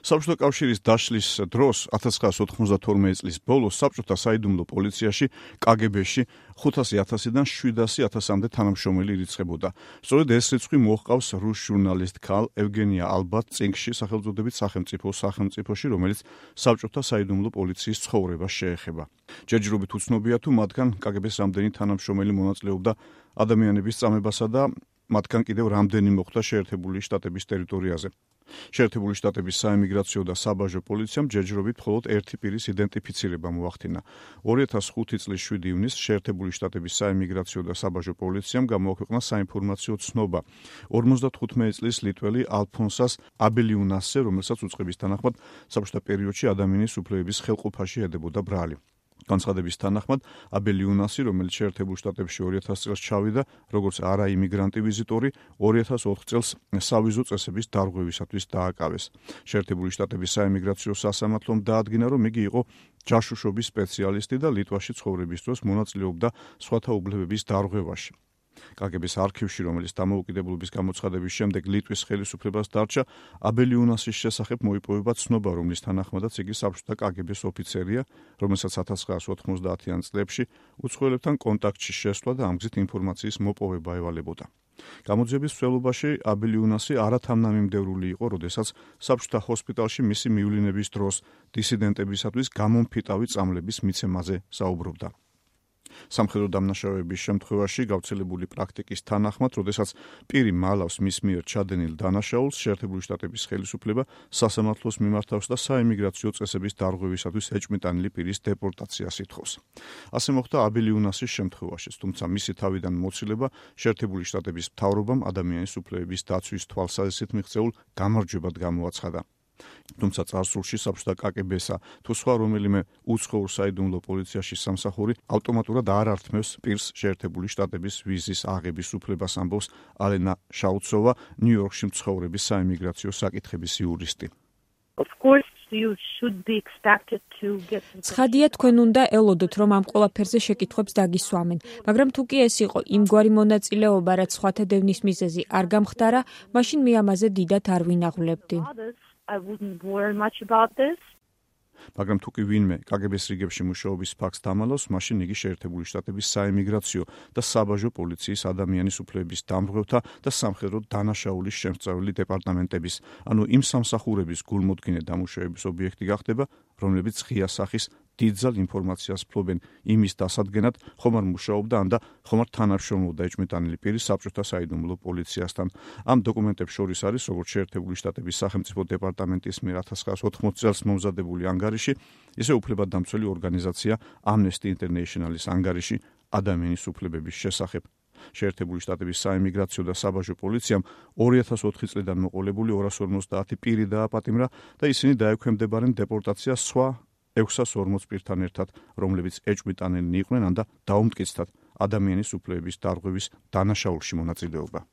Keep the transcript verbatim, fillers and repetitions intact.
საბჭოთა კავშირის დაშლის დროს ათას ცხრაასი ოთხმოცდათორმეტი წლის ბოლოს საბჭოთა საიდუმლო პოლიციაში, კაგებში ხუთასი ათასიდან შვიდასი ათასამდე თანამშრომელი ირიცხებოდა. სწორედ ეს რიცხვი მოჰყავს რუს ჟურნალისტ ქალ ევგენია ალბათ-წინგში სახელწოდებით სახელმწიფო სახელმწიფოში, რომელიც საბჭოთა საიდუმლო პოლიციის ცხოვრებას შეეხება. ჯერჯერობით უცნობია თუ მათგან კაგების რამდენი თანამშრომელი მონაწილეობდა ადამიანების წამებასა და მათგან კიდევ რამდენი მოხვდა შეერთებული შტატების ტერიტორიაზე. შეერთებული შტატების საემიგრაციო და საბაჟო პოლიციამ ჯერჯერობით მხოლოდ ერთი პირის იდენტიფიცირება მოახდინა. ორი ათას ხუთი წლის შვიდი ივნისს შეერთებული შტატების საემიგრაციო და საბაჟო პოლიციამ გამოაქვეყნა საინფორმაციო ცნობა ორმოცდათხუთმეტი წლის ლიტველი ალფონსას აბელიუნასზე, რომელსაც უწყების თანახმად საბჭოთა პერიოდში ადამიანის უფლებების ხელყოფაში ედებოდა ბრალი. განცხადების თანახმად აბელიუნასი, რომელიც შეერთებულ შტატებში ორი ათას წელს ჩავიდა, როგორც არაიმიგრანტი ვიზიტორი, ორი ათას ოთხ წელს სავიზო წესების დარღვევისათვის დააკავეს. შეერთებული შტატების საემიგრაციო სასამართლომ დაადგინა, რომ იგი იყო ჯაშუშობის სპეციალისტი და ლიტვაში ცხოვრების დროს მონაწილეობდა სხვათა უფლებების დარღვევაში. კაგების არქივში, რომელიც დამოუკიდებლობის გამოცხადების შემდეგ ლიტვის ხელისუფლებას დარჩა, აბელიუნასის შესახებ მოიპოვება ცნობა, რომლის თანახმადაც იგი საბჭოთა კაგების ოფიცერია, რომელსაც ათას ცხრაასი ოთხმოცდაათიან წლებში უცხოელებთან კონტაქტში შესვლა და ამ გზით ინფორმაციის მოპოვება ევალებოდა. გამოძიების მსვლელობაში აბელიუნასი არათანმიმდევრული იყო, როდესაც საბჭოთა ჰოსპიტალში მისი მივლინების დროს დისიდენტებისათვის გამომფიტავი წამლების მიცემაზე საუბრობდა. სამხედრო დამნაშავეების შემთხვევაში გავრცელებული პრაქტიკის თანახმად, როდესაც პირი მალავს მის მიერ ჩადენილ დანაშაულს, შეერთებული შტატების ხელისუფლება სასამართლოს მიმართავს და საემიგრაციო წესების დარღვევისათვის ეჭვმიტანილი პირის დეპორტაციას ითხოვს. ასე მოხდა აბელიუნასის შემთხვევაშიც, თუმცა მისი თავიდან მოცილება შეერთებული შტატების მთავრობამ ადამიანის უფლებების დაცვის თვალსაზრისით მიღწეულ გამარჯვებად გამოაცხადა. თუმცა წარსულში საბჭოთა კაგებსა თუ სხვა რომელიმე უცხოურ საიდუმლო პოლიციაში სამსახური ავტომატურად არ ართმევს პირს შეერთებული შტატების ვიზის აღების უფლებას, ამბობს ალენა შაუცოვა, ნიუ-იორკში მცხოვრების საემიგრაციო საკითხების იურისტი. ცხადია, თქვენ უნდა ელოდოთ, რომ ამ ყველაფერზე შეკითხვებს დაგისვამენ, მაგრამ თუ კი ეს იყო იმგვარი მონაწილეობა, რაც სხვათა დევნის მიზეზი არ გამხდარა, მაშინ მე ამაზე დიდად არ ვინაღვლებდი. I wouldn't worry much about this. მაგრამ თუ კი ვინმე კაგების რიგებში მუშაობის ფაქტს დამალავს, მაშინ იგი შეერთებული შტატების საემიგრაციო და საბაჟო პოლიციის ადამიანის უფლებების დამრღვევთა და სამხედრო დანაშაულის შემსწავლელი დეპარტამენტების, ანუ იმ სამსახურების გულმოდგინე დამუშავების ობიექტი გახდება, რომლებიც ღია სახის დიდძალ ინფორმაციას ფლობენ იმის დასადგენად, ხომ არ მუშაობდა ან და ხომ არ თანამშრომლობდა ეჭვმიტანილი პირი საბჭოთა საიდუმლო პოლიციასთან. ამ დოკუმენტებს შორის არის როგორც შეერთებული შტატების სახელმწიფო დეპარტამენტის მიერ ათას ცხრაასი ოთხმოცდაათი წელს მომზადებული ანგარიში, ისე უფლებადამცველი ორგანიზაცია Amnesty International-ის ანგარიში ადამიანის უფლებების შესახებ. შეერთებული შტატების საემიგრაციო და საბაჟო პოლიციამ ორი ათას ოთხი წლიდან მოყოლებული ორას ორმოცდაათი პირი დააპატიმრა და ისინი დაექვემდებარნენ დეპორტაციას სხვა ექვსას ორმოც პირთან ერთად, რომლებიც ეჭვმიტანილნი იყვნენ ან და დაუმტკიცდათ ადამიანის უფლებების დარღვევის დანაშაულში მონაწილეობა.